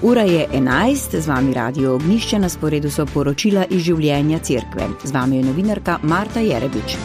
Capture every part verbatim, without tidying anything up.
Ura je enajst, z vami Radio Ognjišče, na sporedu so poročila iz življenja cerkve. Z vami je novinarka Marta Jerebič.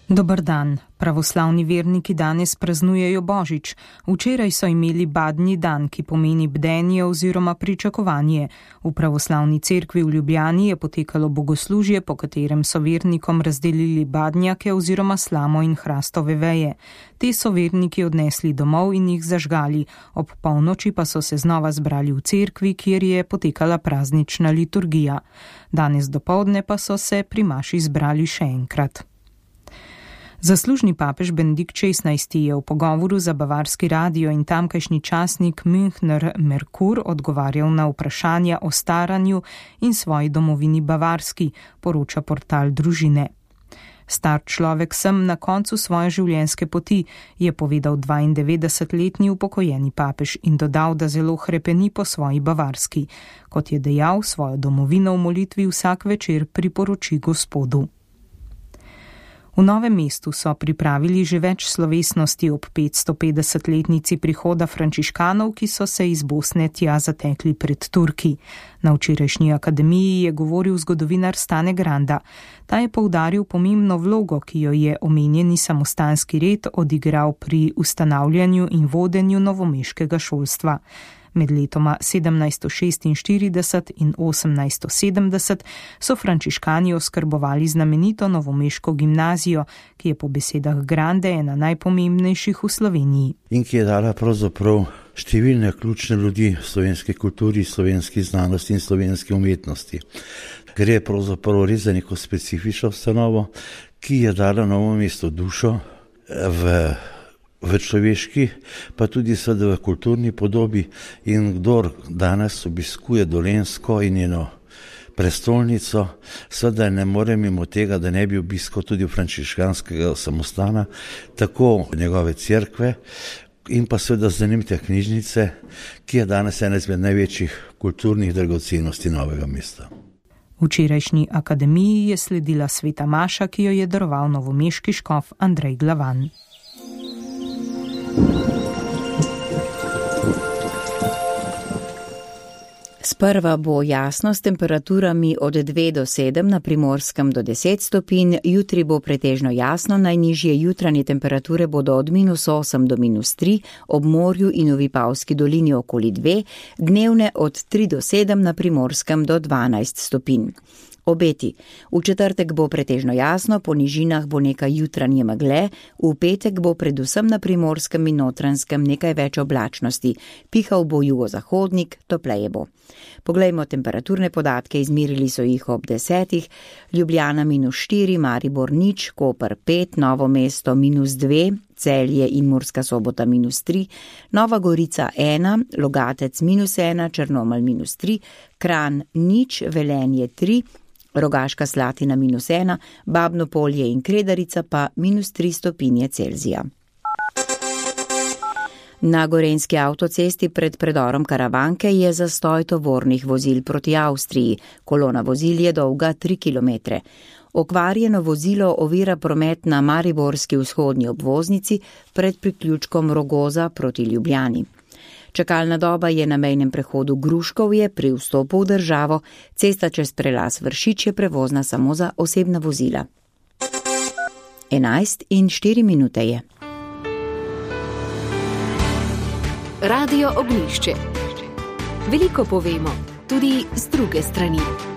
Dober dan. Pravoslavni verniki danes praznujejo Božič. Včeraj so imeli badnji dan, ki pomeni bdenje oziroma pričakovanje. V pravoslavni cerkvi v Ljubljani je potekalo bogoslužje, po katerem so vernikom razdelili badnjake oziroma slamo in hrastove veje. Te so verniki odnesli domov in jih zažgali. Ob polnoči pa so se znova zbrali v cerkvi, kjer je potekala praznična liturgija. Danes dopoldne pa so se pri maši zbrali še enkrat. Zaslužni papež Benedikt šestnajsti je v pogovoru za bavarski radio in tamkajšnji časnik Münchner Merkur odgovarjal na vprašanja o staranju in svoji domovini Bavarski, poroča portal Družine. Star človek sem na koncu svoje življenjske poti, je povedal dvaindevetdesetletni upokojeni papež in dodal, da zelo hrepeni po svoji Bavarski. Kot je dejal, svojo domovino v molitvi vsak večer priporoči Gospodu. V Novem mestu so pripravili že več slovesnosti ob petstopetdesetletnici prihoda frančiškanov, ki so se iz Bosne tja zatekli pred Turki. Na včerajšnji akademiji je govoril zgodovinar Stane Granda. Ta je poudaril pomembno vlogo, ki jo je omenjeni samostanski red odigral pri ustanavljanju in vodenju novomeškega šolstva. Med letoma sedemnajststo šestinštirideset in osemnajststo sedemdeset so frančiškani oskrbovali znamenito novomeško gimnazijo, ki je po besedah Grande ena najpomembnejših v Sloveniji. In ki je dala pravzaprav številne ključne ljudi v slovenski kulturi, slovenski znanosti in slovenski umetnosti. Gre pravzaprav res za neko specifično ustanovo, ki je dala Novo mesto dušo v v človeški, pa tudi seveda v kulturni podobi, in kdor danes obiskuje Dolenjsko in njeno prestolnico, seveda ne more mimo tega, da ne bi obiskal tudi frančiškanskega samostana, tako njegove cerkve in pa seveda zanimite knjižnice, ki je danes ena izmed največjih kulturnih dragocenosti Novega mesta. Včerajšnji akademiji je sledila sveta maša, ki jo je daroval novomeški škof Andrej Glavan. Sprva bo jasno s temperaturami od dve do sedem, na Primorskem do deset stopinj, jutri bo pretežno jasno, najnižje jutranje temperature bodo od minus osem do minus tri, ob morju in v Vipavski dolini okoli dve, dnevne od tri do sedem, na Primorskem do dvanajst stopinj. Obeti. V četrtek bo pretežno jasno, po nižinah bo nekaj jutranje megle, v petek bo predvsem na Primorskem in Notranjskem nekaj več oblačnosti, pihal bo jugozahodnik, topleje bo. Poglejmo temperaturne podatke, izmerili so jih ob desetih, Ljubljana minus štiri, Maribor nič, Koper pet, Novo mesto minus dve, Celje in Murska Sobota minus tri, Nova Gorica ena, Logatec minus ena, Črnomelj minus tri, Kranj nič, Velenje tri, Rogaška Slatina minus ena, Babno Polje in Kredarica pa minus tri stopinje Celzija. Na gorenjski avtocesti pred predorom Karavanke je zastoj tovornih vozil proti Avstriji. Kolona vozil je dolga tri kilometre. Okvarjeno vozilo ovira promet na mariborski vzhodni obvoznici pred priključkom Rogoza proti Ljubljani. Čakalna doba je na mejnem prehodu Gruškovje pri vstopu v državo, cesta čez prelaz Vršič je prevozna samo za osebna vozila. enajst in štiri minute je. Radio Ognjišče. Veliko povemo, tudi z druge strani.